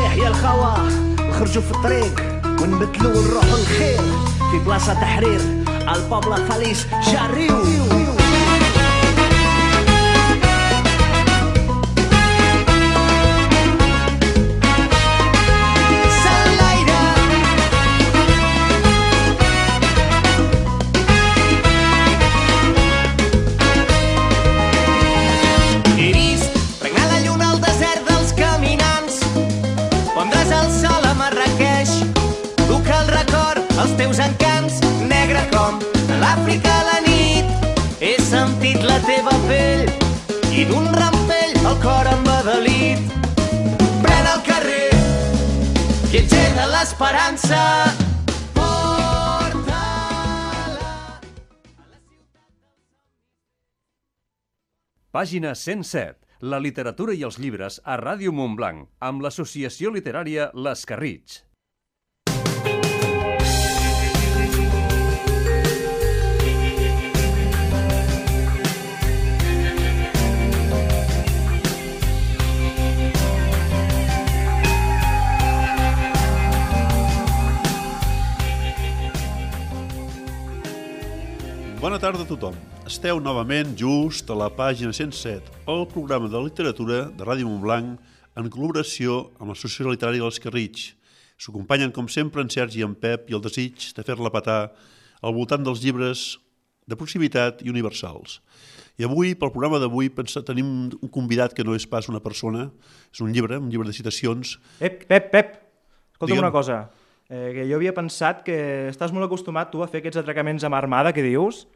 يحيى الخوا نخرجوا في الطريق ونبدلوا ونروحوا الخير في بلاصة تحرير البابلا فاليس جاريو. Els teus encants, negre com l'Àfrica a la nit. He sentit la teva pell i d'un rampell el cor embadalit. Pren el carrer, viatger de l'esperança, porta-la. Pàgina 107. La literatura i els llibres a Ràdio Montblanc, amb l'associació literària Les Carrits. Bona tarda a tothom. Esteu novament just a la pàgina 107, el programa de literatura de Ràdio Montblanc en col·laboració amb l'Associació Literària dels Carrits. S'acompanyen, com sempre, en Sergi i en Pep i el desig de fer-la petar al voltant dels llibres de proximitat i universals. I avui, pel programa d'avui, tenim un convidat que no és pas una persona, és un llibre de citacions. Pep, escolta'm una cosa. Que jo havia pensat que estàs molt acostumat tu a fer aquests atracaments amb armada que dius,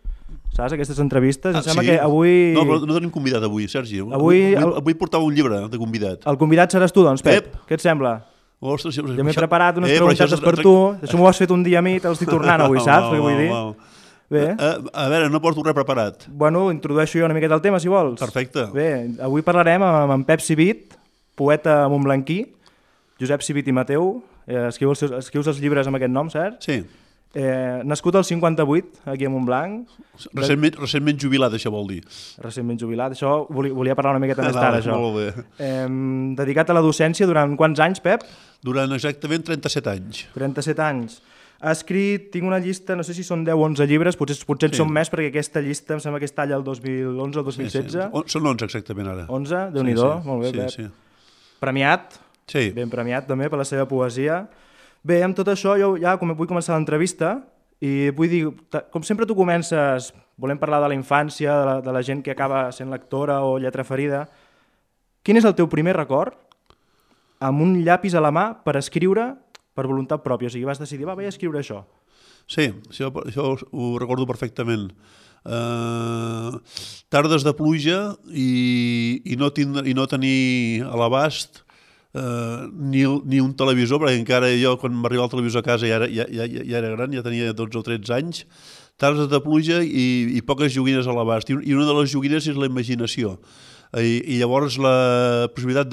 saps, aquestes entrevistes. Em sembla que avui... No, però no tenim convidat avui, Sergi. Avui portava un llibre de convidat. El convidat seràs tu, doncs, Pep. Què et sembla? Ostres, jo m'he preparat unes preguntes per tu. Això m'ho has fet un dia a mi, te l'estic tornant avui, saps? Què vull dir? Bé. A veure, no porto res preparat. Bueno, introdueixo jo una miqueta el tema, si vols. Perfecte. Bé, avui parlarem amb en Pep Civit, poeta montblanquí, Josep Civit i Mateu. Escrius els llibres amb aquest nom, cert? Sí. Nascut al 58, aquí a Montblanc. Recentment jubilat, això vol dir. Recentment jubilat, això volia parlar una miqueta més tard, això. Molt bé. Dedicat a la docència durant quants anys, Pep? Durant exactament 37 anys. 37 anys. Ha escrit, tinc una llista, no sé si són 10 o 11 llibres, potser en són més, perquè aquesta llista em sembla que es talla el 2011 o el 2016. Sí. Són 11 exactament ara. 11? Déu-n'hi-do, molt bé, Pep. Sí. Premiat. Sí. Ben premiat també per la seva poesia. Bé, amb tot això jo ja vull començar l'entrevista i vull dir, com sempre tu comences, volem parlar de la infància, de la gent que acaba sent lectora o lletra ferida. Quin és el teu primer record amb un llapis a la mà per escriure per voluntat pròpia? O sigui, vas decidir, vaig a escriure això. Sí, això ho recordo perfectament. Tardes de pluja i no tenir a l'abast ni un televisor, perquè encara jo, quan m'arribava el televisor a casa, ja era gran, ja tenia 12 o 13 anys, tardes de pluja i poques joguines a l'abast. I una de les joguines és la imaginació. I llavors la possibilitat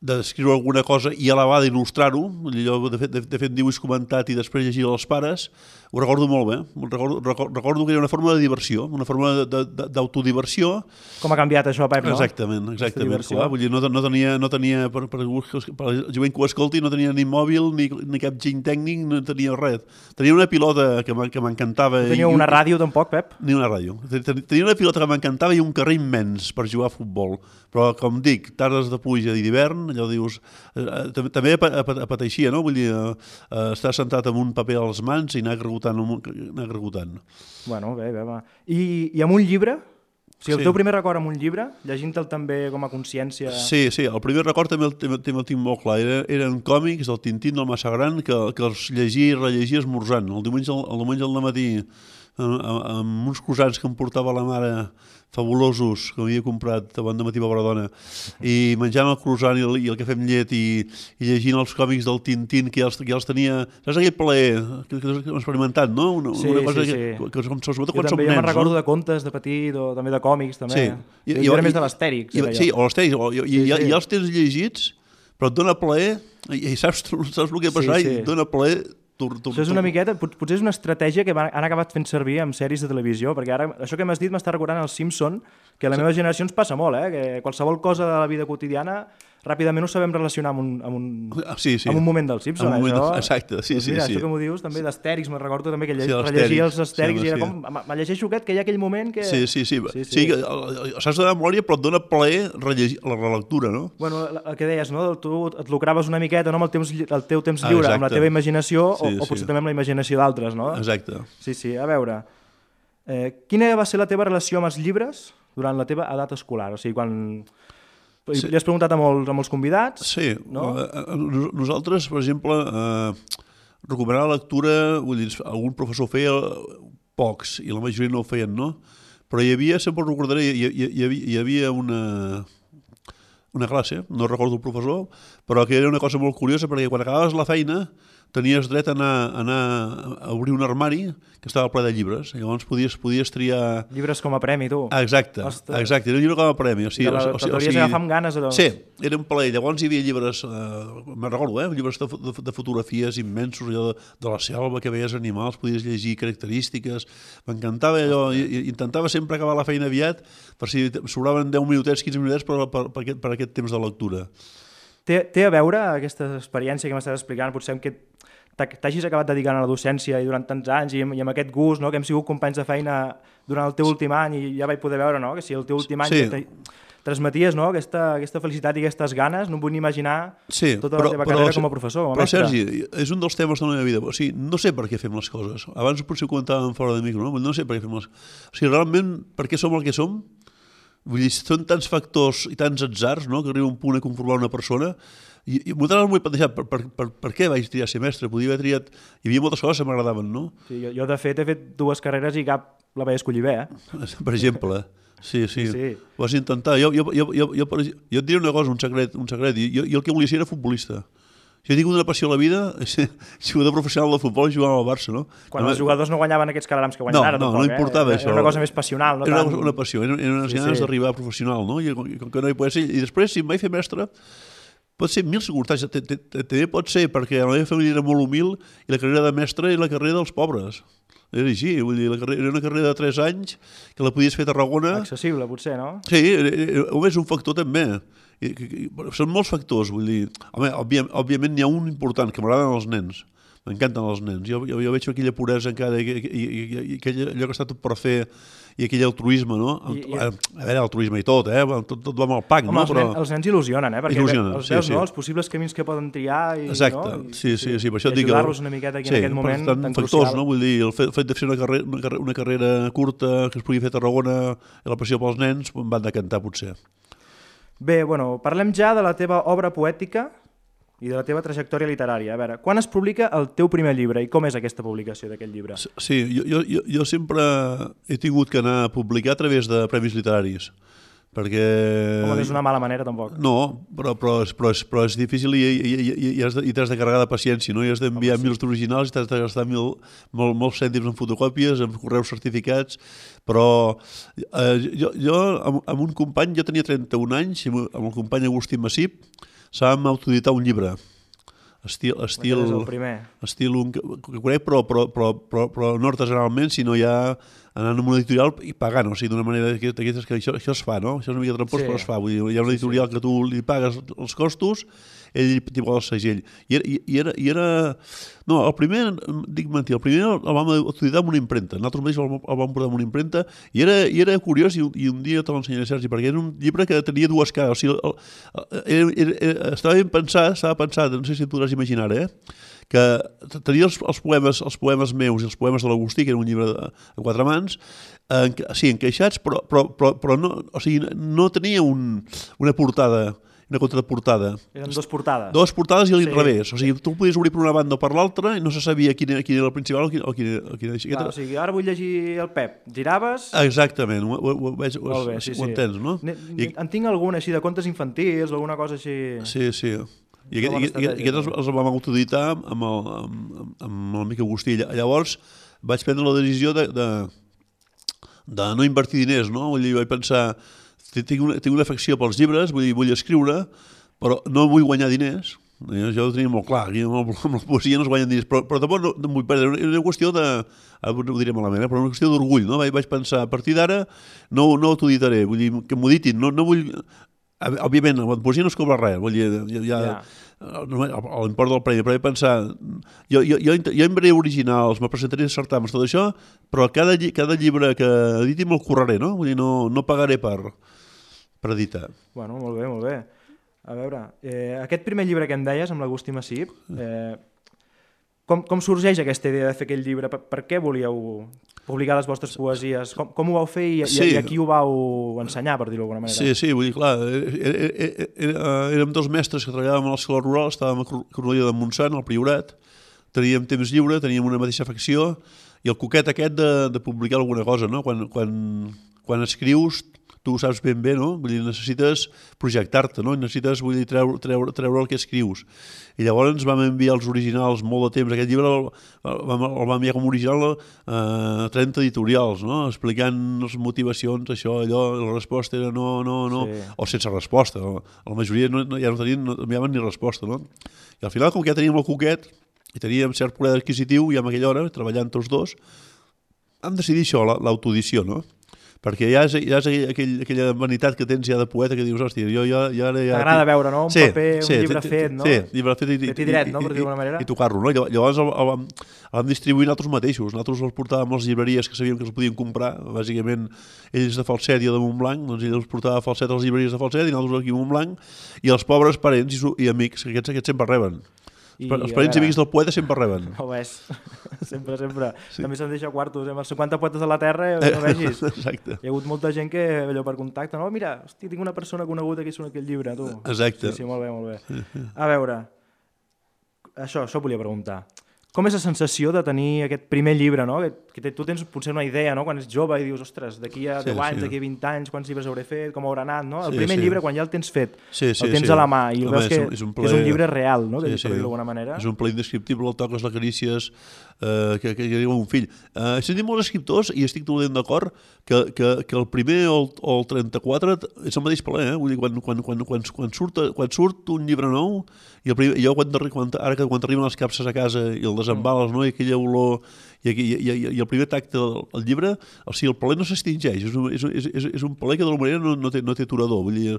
d'escriure alguna cosa i a la vegada il·lustrar-ho, de fet dibuix comentat i després llegir als pares, ho recordo molt bé. Recordo que era una forma de diversió, una forma d'autodiversió. Com ha canviat això, Pep, no? Exactament. Clar, vull dir, no tenia per la gent que ho escolti, no tenia ni mòbil, ni cap giny tècnic, no tenia res. Tenia una pilota que m'encantava. No tenia una ràdio tampoc, Pep? Ni una ràdio. Tenia una pilota que m'encantava i un carrer immens per jugar a futbol. Però, com dic, tardes de pluja i d'hivern, allò dius... També apeteixia, no? Vull dir, estar sentat amb un paper a les mans i anar gregutant. Bueno, bé, va. I amb un llibre? O sigui, el teu primer record amb un llibre, llegint-te'l també com a consciència... Sí, el primer record també el tinc molt clar. Eren còmics del Tintín del Massa Gran que els llegia i rellegia esmorzant. El diumenge al matí, amb uns croissants que em portava la mare fabulosos, que m'havia comprat abans de matí a Baradona, i menjant el croissant i el cafè amb llet i llegint els còmics del Tintín, que ja els tenia... Saps aquell plaer que hem experimentat, no? Una cosa que sobretot quan som nens. Jo me'n recordo de contes de petit o també de còmics, també. Jo era més de l'Astèrix. Sí, o l'Astèrix. I els tens llegits, però et dona plaer, i saps el que ha passat, i et dona plaer... Això és una miqueta, potser és una estratègia que han acabat fent servir en sèries de televisió, perquè ara això que m'has dit m'està recordant el Simpson, que a la meva generació ens passa molt, que qualsevol cosa de la vida quotidiana ràpidament ho sabem relacionar amb un moment del Simpson. Exacte, sí. Mira, això que m'ho dius també d'Astèrix, me'n recordo també que rellegia els Astèrix i era com, me llegeixo aquest, que hi ha aquell moment que... Sí, saps de memòria, però et dona plaer rellegir la relectura, no? Bueno, el que deies, no? Tu et lucraves una miqueta, no? Amb el teu temps lliure, amb la teva imaginació, o potser també amb la imaginació d'altres, no? Exacte. Sí, a veure, quina va ser la teva relació amb els llibres durant la teva edat escolar? O sigui, quan... Li has preguntat a molts convidats? Sí, no? Nosaltres, per exemple, recomanar la lectura, vull dir, algun professor feia pocs, i la majoria no ho feien, no? Però hi havia, sempre ho recordaré, hi havia una classe, no recordo el professor, però que era una cosa molt curiosa, perquè quan acabaves la feina tenies dret a anar a obrir un armari que estava ple de llibres. Llavors podies triar... Llibres com a premi, tu. Exacte, era un llibre com a premi. T'hauries agafar amb ganes. Sí, era un plaer. Llavors hi havia llibres, me'n recordo, llibres de fotografies immensos, allò de la selva, que veies animals, podies llegir característiques. M'encantava allò, i intentava sempre acabar la feina aviat, per si sobraven 10 minutets, 15 minutets per aquest temps de lectura. Té a veure aquesta experiència que m'estàs explicant, potser que t'hagis acabat dedicant a la docència i durant tants anys i amb aquest gust, no? Que hem sigut companys de feina durant el teu últim any i ja vaig poder veure, no? Que si el teu últim any transmeties, no? Aquesta felicitat i aquestes ganes, no em vull ni imaginar tota la teva carrera com a professor, com a mestre. Però Sergi, és un dels temes de la meva vida. O sigui, no sé per què fem les coses. Abans potser ho comentàvem fora de micro, no? No sé per què fem les coses. O sigui, realment, per què som el que som? Vull dir, són tants factors i tants atzars, no?, que arriba un punt a conformar una persona. I moltes vegades m'ho he plantejat, per què vaig triar ser mestre? Podia haver triat... Hi havia moltes coses que m'agradaven, no? Sí, jo de fet he fet 2 carreres i cap la vaig escollir bé, Per exemple. Sí. Ho vas intentar. Jo et diré una cosa, un secret. Jo el que volia ser era futbolista. Jo he tingut una passió a la vida, jugador professional de futbol i jugava al Barça, no? Quan els jugadors no guanyaven aquests calarams que guanyen ara, tampoc, no importava això. Era una cosa més passional, no? Era una passió, eren unes ganes d'arribar a professional, no? I com que no hi podia ser. I després, si em vaig fer mestre, pot ser mil circumstàncies. També pot ser perquè la meva família era molt humil i la carrera de mestre era la carrera dels pobres. Era així, vull dir, era una carrera de 3 anys que la podies fer a Tarragona. Accessible, potser, no? Sí, és un factor també. Són molts factors, vull dir. Home, òbviament n'hi ha un important, que m'agraden els nens. M'encanten els nens. Jo veig aquella puresa encara i allò que està tot per fer i aquell altruisme, no? A veure, altruisme i tot, tot va amb el pack, no? Home, els nens il·lusionen, perquè els veus, no? Els possibles camins que poden triar i per això et dic... ajudar-los una miqueta aquí en aquest moment tan crucial. No? Vull dir, el fet de fer una carrera curta que es pugui fer a Tarragona i la passió pels nens em van decantar, potser. Bé, bueno, parlem ja de la teva obra poètica i de la teva trajectòria literària. A veure, quan es publica el teu primer llibre i com és aquesta publicació d'aquest llibre? Sí, jo sempre he tingut que anar a publicar a través de premis literaris, perquè... Home, no és una mala manera, tampoc. No, però és difícil i t'has de carregar de paciència, no? I has d'enviar 1.000 originals i t'has de gastar molts cèntims en fotocòpies, en correus certificats, però jo amb un company, jo tenia 31 anys, amb el company Agustí Massip, sabem autoeditar un llibre. Estil que conec, però no artesanalment, sinó ja anant a una editorial i pagant, o sigui, d'una manera d'aquestes que això es fa, no? Això és una mica trampós, però es fa. Vull dir, hi ha una editorial que tu li pagues els costos, ell t'hi posa el segell. I era... No, el primer, dic mentir, el primer el vam autoeditar amb una impremta. Nosaltres mateixos el vam portar amb una impremta i era curiós i un dia te l'ensenyaré, Sergi, perquè era un llibre que tenia 2 cares. O sigui, estava ben pensat, no sé si et podràs imaginar, que tenia els poemes meus i els poemes de l'Agustí, que era un llibre a 4 mans, encaixats, però no, o sigui, no tenia una portada, una contraportada. Eren 2 portades. 2 portades i a l'inrevés. O sigui, tu podies obrir per una banda o per l'altra i no se sabia quin era el principal o quin era... Clar, o sigui, ara vull llegir el Pep. Giraves... Exactament, ho entens, no? En tinc alguna així de contes infantils, alguna cosa així... Sí. I aquests els vam autoeditar amb l'amic Agustí. Llavors vaig prendre la decisió de no invertir diners, no? Vull dir, vaig pensar, tinc una afecció pels llibres, vull escriure, però no vull guanyar diners. Jo ho tenia molt clar, aquí amb la poesia no es guanyen diners, però tampoc no vull perdre. Era una qüestió de, ho diré malament, però una qüestió d'orgull, no? Vaig pensar, a partir d'ara no autoeditaré, vull dir, que m'ho ditin, no vull... òbviament, amb la poesia no es cobra res, vull dir, l'import del premi, però he pensat, jo enviaré originals, me presentaré certàmens, tot això, però cada llibre que editi me'l curraré, no? Vull dir, no pagaré per editar. Bueno, molt bé, molt bé. A veure, aquest primer llibre que em deies, amb l'Agustí Massip, com sorgeix aquesta idea de fer aquest llibre? Per què volíeu publicar les vostres poesies? Com ho vau fer i a qui ho vau ensenyar, per dir-ho d'alguna manera? Sí, vull dir, clar, érem dos mestres que treballàvem a l'escola rural, estàvem a Cornellà de Montsant, al Priorat, teníem temps lliure, teníem una mateixa facció, i el coquet aquest de publicar alguna cosa, no? Quan escrius, tu ho saps ben bé, no? Vull dir, necessites projectar-te, no? Necessites, vull dir, treure el que escrius. I llavors ens vam enviar els originals molt de temps. Aquest llibre el vam enviar com a original a 30 editorials, no? Explicant les motivacions, això, allò, la resposta era no, sí. O sense resposta. La majoria no enviaven ni resposta, no? I al final, com que ja teníem el coquet i teníem cert poder adquisitiu, i en aquella hora, treballant tots dos, vam decidir això, l'autoedició, no? Perquè ja és aquella vanitat que tens ja de poeta que dius, hòstia, jo ja... T'agrada veure, no? Un paper, un llibre fet, no? Sí, llibre fet i dret, no? Per dir d'alguna manera. I tocar-lo, no? Llavors el vam distribuir nosaltres mateixos. Nosaltres els portàvem a les llibreries que sabíem que els podien comprar. Bàsicament, ells de Falset i de Montblanc, doncs ells els portava a Falset a les llibreries de Falset i nosaltres aquí a Montblanc, i els pobres parents i amics, que aquests sempre reben. Els parents i amics del poeta sempre reben. Ho és, sempre. Sí. També se'n deixa quartos, amb els 50 poetes de la terra, no vegis. Exacte. Hi ha hagut molta gent que, allò per contacte, no, mira, hosti, tinc una persona coneguda que és aquest llibre, tu. Exacte. Sí, molt bé. A veure, això volia preguntar. Com és la sensació de tenir aquest primer llibre, no? Que tu tens potser una idea, no? Quan ets jove i dius, ostres, d'aquí a 10 anys, d'aquí a 20 anys, quants llibres hauré fet, com haurà anat, no? El primer llibre, quan ja el tens fet, el tens a la mà i el veus que és un llibre real, no? Per dir-ho d'alguna manera. És un ple indescriptible, el toques, l'acarícies, que diu un fill. He sentit molts escriptors, i estic totalment d'acord, que el primer o el 34 és el mateix ple, eh? Vull dir, quan surt un llibre nou, i jo quan arriben les capses a casa i el desembales, no? I aquella olor i el primer tacte del llibre, o sigui, el paler no s'extingeix, és un paler que d'alguna manera no té aturador. Vull dir,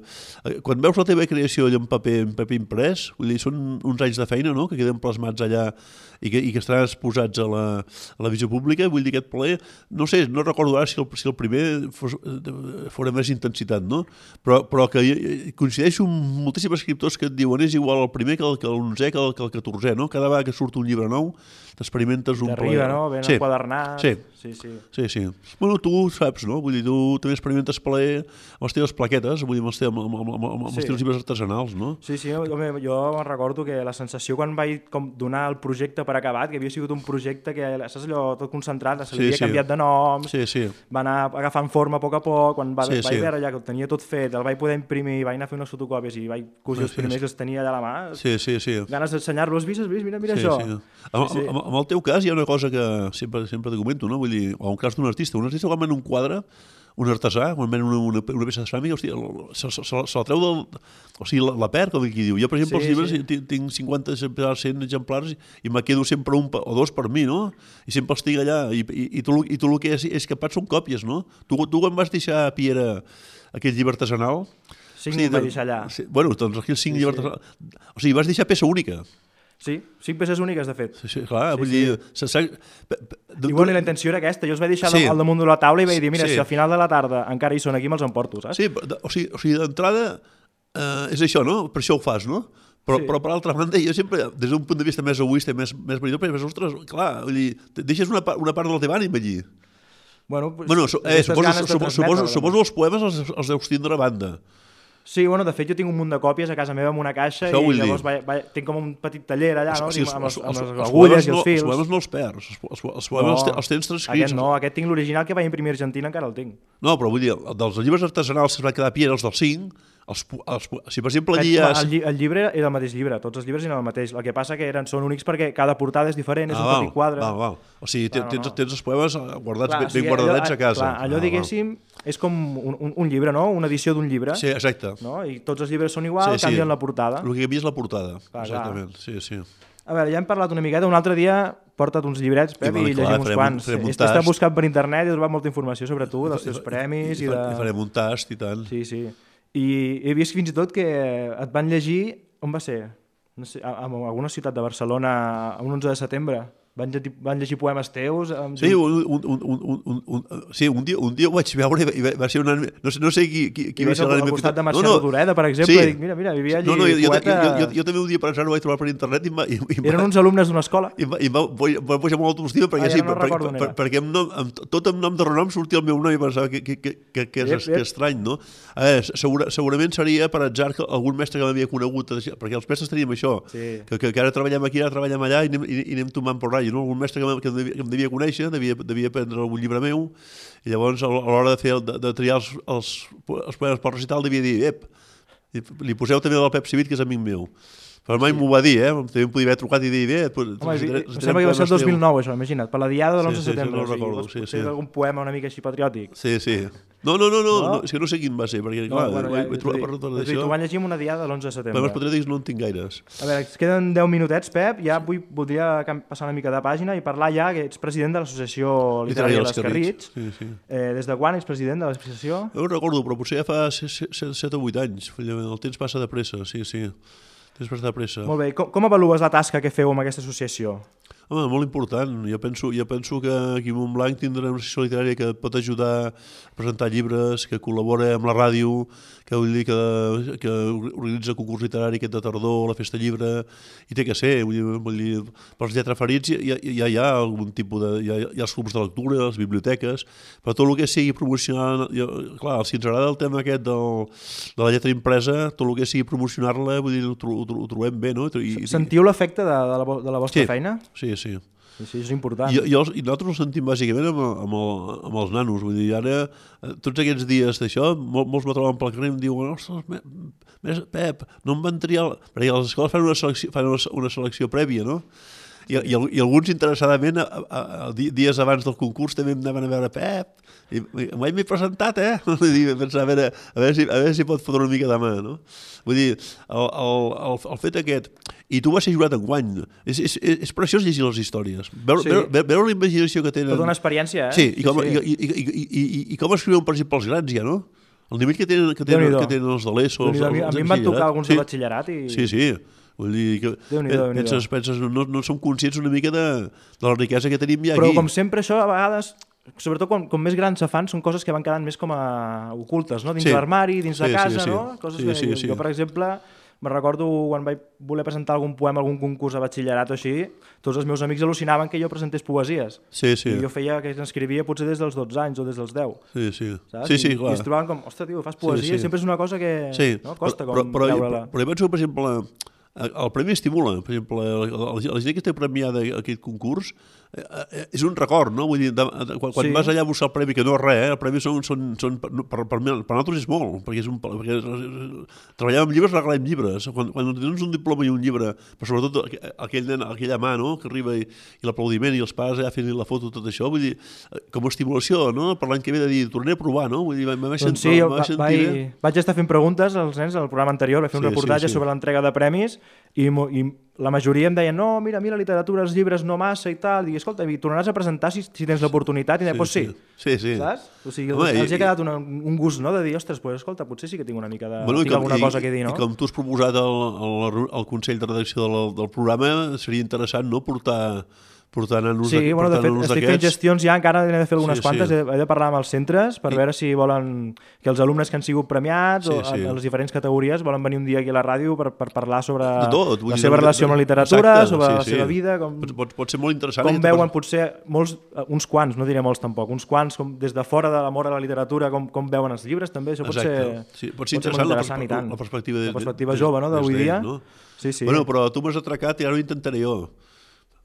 quan veus la teva creació en paper imprès, vull dir, són uns anys de feina, no?, que queden plasmats allà i que estaran exposats a la visió pública. Vull dir, aquest paler, no sé, no recordo ara si el primer fos més intensitat, no? Però que coincideixo amb moltíssims escriptors que et diuen és igual el primer que l'11è que el 14è, no? Cada vegada que surt un llibre nou t'experimentes un plaer. T'arriba, no? Ben enquadernat. Sí. Bueno, tu saps, no? Vull dir, tu també experimentes plaer amb les teves plaquetes, vull dir, amb els teus llibres artesanals, no? Sí, home, jo recordo que la sensació quan vaig donar el projecte per acabat, que havia sigut un projecte que, saps allò, tot concentrat, se li havia canviat de nom, va anar agafant forma a poc, quan vaig veure ja que ho tenia tot fet, el vaig poder imprimir, vaig anar a fer unes fotocòpies i vaig cosir els primers que els tenia allà a la mà. Sí. Ganes d'ensenyar-los, mira això. En el teu cas hi ha una cosa que sempre te comento, no? Vull dir, o en cas d'un artista quan ven un quadre, un artesà, quan ven una peça de ceràmica, hòstia, se la treu o sigui, la perd, com qui diu. Jo, per exemple, els llibres tinc 50 exemplars, 100 exemplars i me quedo sempre un o dos per mi, no? I sempre els tinc allà. I tu el que és capat són còpies, no? Tu quan vas deixar a Piera aquell llibre artesanal... 5 vaig deixar allà. Bueno, doncs aquí els 5 llibres artesanals... O sigui, vas deixar peça única. Sí, 5 peces úniques, de fet. Sí, clar, vull dir... I bueno, la intenció era aquesta, jo els vaig deixar al damunt de la taula i vaig dir, mira, si al final de la tarda encara hi són aquí, me'ls emporto, saps? Sí, o sigui d'entrada és això, no? Per això ho fas, no? Però per altra banda, jo sempre, des d'un punt de vista més egoista, més venidor, perquè, ostres, clar, vull dir, deixes una part de la teva ànima allí. Bueno, suposo els poemes els deus tindre a banda. Sí, bueno, de fet jo tinc un munt de còpies a casa meva amb una caixa i llavors tinc com un petit taller allà, no? Amb les agulles i els fils. Els poemes no els perds, els poemes els tens transcrits. Aquest tinc l'original que vaig imprimir a Argentina, encara el tinc. No, però vull dir, dels llibres artesanals que es van quedar a Piera, els dels 5, si per exemple allí el llibre era el mateix llibre, tots els llibres eren el mateix, el que passa que són únics perquè cada portada és diferent, és un petit quadre. O sigui, tens els poemes guardats ben guardadets a casa. Allò, diguéssim, és com un llibre, no? Una edició d'un llibre. Sí, exacte. I tots els llibres són iguals, canvien la portada. El que canvia és la portada, exactament, sí. A veure, ja hem parlat una miqueta, un altre dia porta't uns llibrets, Pep, i llegim uns quants. He estat buscant per internet i he trobat molta informació sobre tu, dels teus premis. I farem un tast i tant. Sí. I he vist fins i tot que et van llegir, on va ser? No sé, en alguna ciutat de Barcelona, un 11 de setembre. Van llegir poemes teus? Sí, un dia ho vaig veure i va ser una... No sé qui va ser l'ànima... Al costat de Mercè Rodoreda, per exemple, dic, mira, vivia allí poeta... Jo també un dia per anar ho vaig trobar per internet i eren uns alumnes d'una escola. I va pujar molt autoestima perquè tot amb nom de renom sortia el meu nom i pensava que és estrany, no? Segurament seria per atzar que algun mestre que m'havia conegut, perquè els mestres teníem això, que ara treballem aquí, ara treballem allà i anem tomant por rai. Un mestre que em devia conèixer, devia prendre algun llibre meu, i llavors a l'hora de triar els poemes pel recital devia dir, li poseu també del Pep Civit, que és amic meu. Però mai m'ho va dir, també em podia haver trucat i dir, em sembla que va ser el 2009, això, imagina't, per la diada de l'11 de setembre. No recordo, sí. Potser algun poema una mica així patriòtic. Sí. No, és que no sé quin va ser, perquè clar, vaig trobar per tota això. T'ho van llegir en una diada de l'11 de setembre. Poemes patriòtics no en tinc gaires. A veure, ens queden 10 minutets, Pep, ja voldria passar una mica de pàgina i parlar ja que ets president de l'Associació Literària de l'Escarritx. Des de quan ets president de l'associació? No ho recordo, però potser ja fa 7 o 8 anys. El temps passa de pressa, sí. Molt bé, com avalues la tasca que feu amb aquesta associació? Home, molt important. Jo penso que aquí a Montblanc tindrem una associació literària que pot ajudar a presentar llibres, que col·labora amb la ràdio, que organitza concurs literari aquest de tardor, la Festa Llibre, i té que ser. Vull dir, pels lletraferits ja hi ha algun tipus de... Hi ha els clubs de lectura, les biblioteques, però tot el que sigui promocionar... Clar, si ens agrada el tema aquest de la lletra impresa, tot el que sigui promocionar-la, vull dir, ho trobem bé, no? Sentiu l'efecte de la vostra feina? Sí. Sí, és important. I nosaltres ho sentim bàsicament amb els nanos. Vull dir, ara, tots aquests dies d'això, molts me troben pel carrer i em diuen, ostres, Pep, no em van triar... Perquè les escoles fan una selecció prèvia, no? I alguns interessadament dies abans del concurs també em anaven a veure Pep, i m'he presentat, a veure si pot fotre una mica de mà, no? Vull dir, el fet aquest, i tu vas ser jurat enguany, és preciós llegir les històries, veure la imaginació que tenen. Tota una experiència, Sí, i com escriuen, per exemple, els grans ja, no? El nivell que tenen els de l'ESO. A mi em van tocar alguns de batxillerat i... Sí. Vull dir que penses, no som conscients una mica de la riquesa que tenim ja aquí. Però com sempre això a vegades, sobretot com més grans se fan, són coses que van quedant més com a ocultes, no? Dins l'armari, dins de casa, no? Coses que jo, per exemple, me recordo quan vaig voler presentar algun poema, algun concurs a batxillerat o així, tots els meus amics al·lucinaven que jo presentés poesies. Sí. I jo feia que escrivia potser des dels 12 anys o des dels 10. Sí, I clar. es trobaven com, ostres, tio, fas poesia, sempre és una cosa que costa com veure-la. Però jo penso, per exemple, el premi estimula. Per exemple, la gent que està premiada a aquest concurs és un record, no? Vull dir, quan vas allà a buscar el premi, que no és res, el premi per nosaltres és molt, perquè treballar amb llibres, regalem llibres. Quan tens un diploma i un llibre, però sobretot aquella mà, no?, que arriba i l'aplaudiment i els pares allà fent la foto, tot això, vull dir, com a estimulació, no?, per l'any que ve de dir, tornaré a provar, no? Vull dir, vaig estar fent preguntes als nens al programa anterior, vaig fer un reportatge sobre l'entrega de premis i la majoria em deien, no, mira, la literatura, els llibres no massa i tal, i escolta, i tornaràs a presentar si tens l'oportunitat, i doncs sí. Saps? O sigui, els ha quedat un gust, no?, de dir, ostres, escolta, potser sí que tinc una mica de... tinc alguna cosa que dir, no? I com tu has proposat al Consell de Redacció del programa, seria interessant, no?, portar nanos d'aquests. Sí, de fet, estic fent gestions ja, encara n'he de fer algunes quantes, he de parlar amb els centres per veure si volen que els alumnes que han sigut premiats o a les diferents categories volen venir un dia aquí a la ràdio per parlar sobre la seva relació amb la literatura, sobre la seva vida. Pot ser molt interessant. Com veuen potser uns quants, no diré molts tampoc, uns quants des de fora de l'amor a la literatura, com veuen els llibres també, això pot ser interessant i tant. La perspectiva jove d'avui dia. Però tu m'has atracat i ara ho intentaré jo.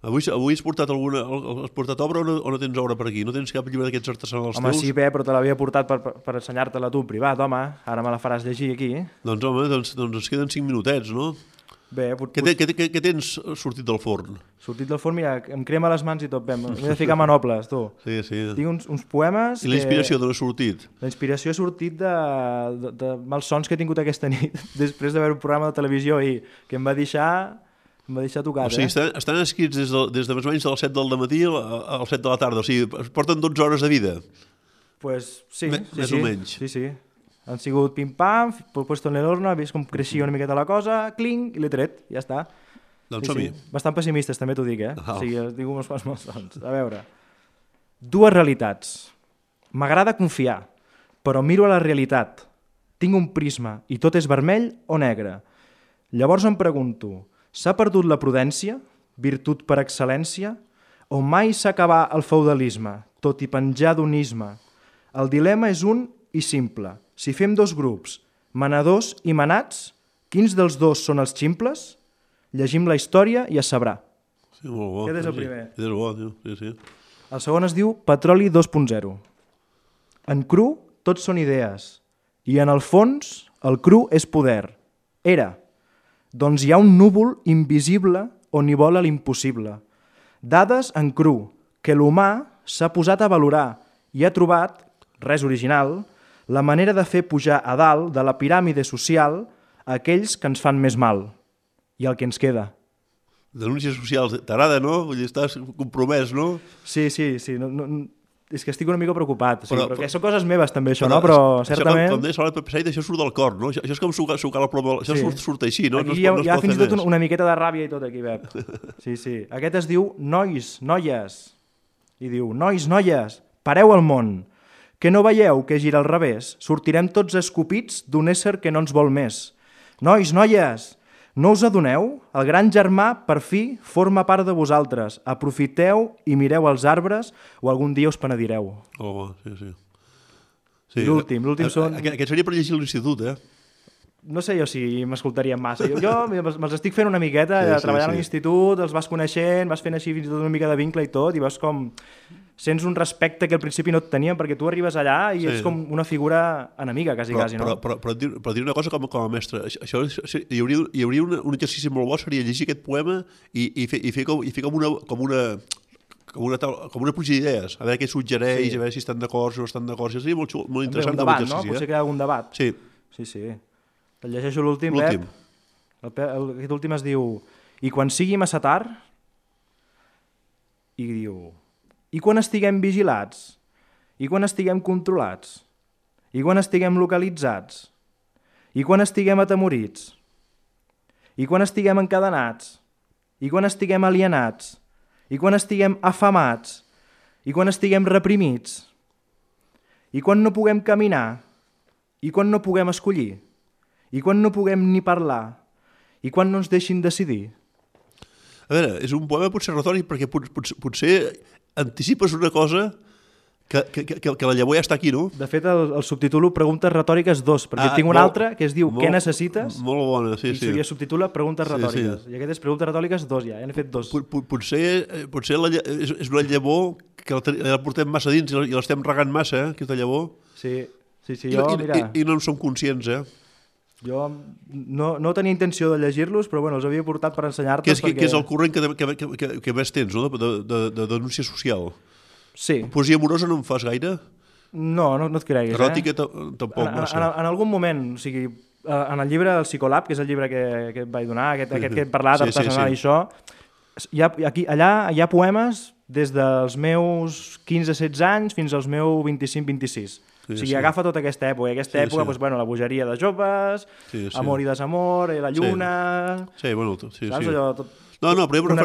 Avui has portat obra o no tens obra per aquí? No tens cap llibre d'aquests artesanals teus? Home, sí, però te l'havia portat per ensenyar-te-la tu en privat, home. Ara me la faràs llegir aquí. Doncs home, ens queden 5 minutets, no? Bé, què tens sortit del forn? Sortit del forn, mira, em crema les mans i tot, m'he de ficar manoples, tu. Sí. Tinc uns poemes... I la inspiració d'on ha sortit? La inspiració ha sortit de malsons que he tingut aquesta nit, després de veure un programa de televisió ahir, que em va deixar tocat. O sigui, estan escrits des de més o menys de les 7 del matí al 7 de la tarda, o sigui, porten 12 hores de vida. Pues sí. Més o menys. Sí. Han sigut pim-pam, puesto en l'horno, he vist com creixia una miqueta la cosa, clinc, i l'he tret, ja està. Doncs som-hi. Bastant pessimistes, també t'ho dic, Ah. O sigui, es diu uns quants malsons. A veure, dues realitats. M'agrada confiar, però miro a la realitat. Tinc un prisma i tot és vermell o negre. Llavors em pregunto, s'ha perdut la prudència, virtut per excel·lència, o mai s'acabà el feudalisme, tot i penjar d'un isme? El dilema és un i simple. Si fem dos grups, manadors i manats, quins dels dos són els ximples? Llegim la història i es sabrà. Sí, molt bo. Aquest és el sí. primer. Aquest és bo, tio. Sí, sí. El segon es diu Petroli 2.0. En cru, tots són idees. I en el fons, el cru és poder. Era. Doncs hi ha un núvol invisible on hi vola l'impossible. Dades en cru, que l'humà s'ha posat a valorar i ha trobat, res original, la manera de fer pujar a dalt de la piràmide social aquells que ens fan més mal. I el que ens queda. Denúncies socials, t'agrada, no? Vull dir, estàs compromès, no? Sí. És que estic una mica preocupat. Perquè són coses meves també, això, no? Però certament... Com deies, l'hora Pepe Said, això surt del cor, no? Això és com sucar la ploma... Això surt així, no? Aquí no hi ha pot fins i fer tot més. una miqueta de ràbia i tot aquí, Pep. Sí. Aquest es diu Nois, noies. I diu, nois, noies, pareu al món. Que no veieu que gira al revés? Sortirem tots escopits d'un ésser que no ens vol més. Nois, noies, no us adoneu? El gran germà, per fi, forma part de vosaltres. Aprofiteu i mireu els arbres o algun dia us penedireu. Oh, sí. I l'últim són... Aquest seria per llegir a l'institut, eh? No sé jo si m'escoltaria massa. Jo me'ls estic fent una miqueta, treballant a l'institut, els vas coneixent, vas fent així fins i tot una mica de vincle i tot, i vas com... Sents un respecte que al principi no et tenien, perquè tu arribes allà i ets com una figura enemiga, quasi, no? Però dir una cosa com a mestre, hi hauria un exercici molt bo, seria llegir aquest poema i fer com una pluja d'idees, a veure què suggereix, a veure si estan d'acord, si no estan d'acord, seria molt interessant. Un debat, no? Potser crear algun debat. Sí. Et llegeixo l'últim, Pep. Aquest últim es diu I quan sigui massa tard, i diu... I quan estiguem vigilats? I quan estiguem controlats? I quan estiguem localitzats? I quan estiguem atemorits? I quan estiguem encadenats? I quan estiguem alienats? I quan estiguem afamats? I quan estiguem reprimits? I quan no puguem caminar? I quan no puguem escollir? I quan no puguem ni parlar? I quan no ens deixin decidir? A veure, és un poema potser retòric perquè potser anticipes una cosa que la llavor ja està aquí, no? De fet, el subtitulo Preguntes retòriques 2, perquè tinc un altre que es diu Què necessites? Molt bona, sí. I se subtitula Preguntes retòriques. I aquest és Preguntes retòriques 2 ja, n'he fet 2. Potser és una llavor que la portem massa dins i l'estem regant massa, aquesta llavor. Sí, jo, mira... I no en som conscients, Jo no tenia intenció de llegir-los, però bueno, els havia portat per ensenyar-te. Que és el corrent que més tens, no?, de denúncia social. Sí. Poesia amorosa no en fas gaire? No et creguis. Eròtica tampoc massa. En algun moment, o sigui, en el llibre El Psicolab, que és el llibre que et vaig donar, aquest que he parlat artesanal i això, allà hi ha poemes des dels meus 15-16 anys fins als meus 25-26. O sigui, agafa tota aquesta època. I aquesta època, doncs, bueno, la bogeria de joves, amor i desamor, la lluna... Sí, bueno, sí. Saps allò tot... No, però jo em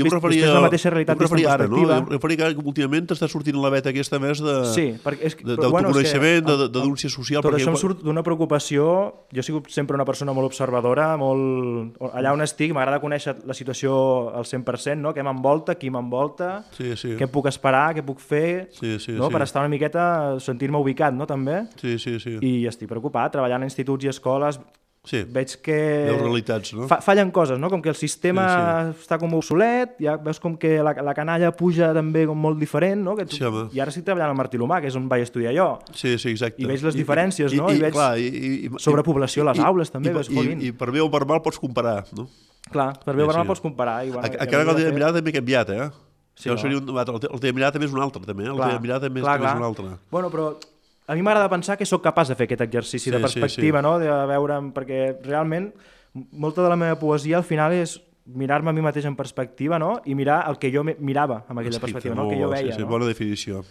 referia la mateixa realitat vista en perspectiva. Jo em referia que últimament t'està sortint la veta aquesta més d'autoconeixement, de denúncia social. Tot això em surt d'una preocupació. Jo he sigut sempre una persona molt observadora, allà on estic m'agrada conèixer la situació al 100%, no? Què m'envolta, qui m'envolta, què puc esperar, què puc fer, per estar una miqueta, sentir-me ubicat, no, també? Sí. I estic preocupat, treballant en instituts i escoles. Veig que realitats, no? Fallen coses, no? Com que el sistema està com obsolet, ja veus com que la canalla puja també com molt diferent, no? I ara estic treballant al Martí l'Humà, que és on vaig estudiar jo. Sí, exacte. I veig les diferències, no? I veig sobrepoblació a les aules també, veus, jolín. I per bé o per mal pots comparar, no? Clar, per bé o per mal pots comparar. Encara que el teva mirada també ha canviat, eh? El teva mirada també és un altre, també. El teva mirada també és un altre. Bueno, però... A mi m'agrada pensar que sóc capaç de fer aquest exercici de perspectiva, no? De veure, perquè realment molta de la meva poesia al final és mirar-me a mi mateix en perspectiva, no? I mirar el que jo mirava amb aquella perspectiva, no? El que jo veia. Sí, bona definició.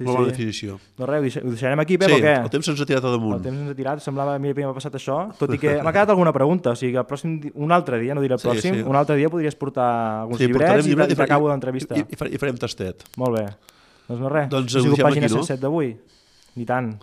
Molt bona definició. No res, ho deixarem aquí, Pep, Sí, o què? el temps ens ha tirat a damunt. El temps ens ha tirat, semblava a mi que m'ha passat això, tot i que m'ha quedat alguna pregunta, o sigui que el pròxim, un altre dia, no diré el pròxim, un altre dia podries portar alguns llibrets i t'acabo l'entrevista. I farem tastet. Molt bé. Doncs no res, Doncs ha sigut ho deixem pàgina aquí, no? 107 d'avui. I tant.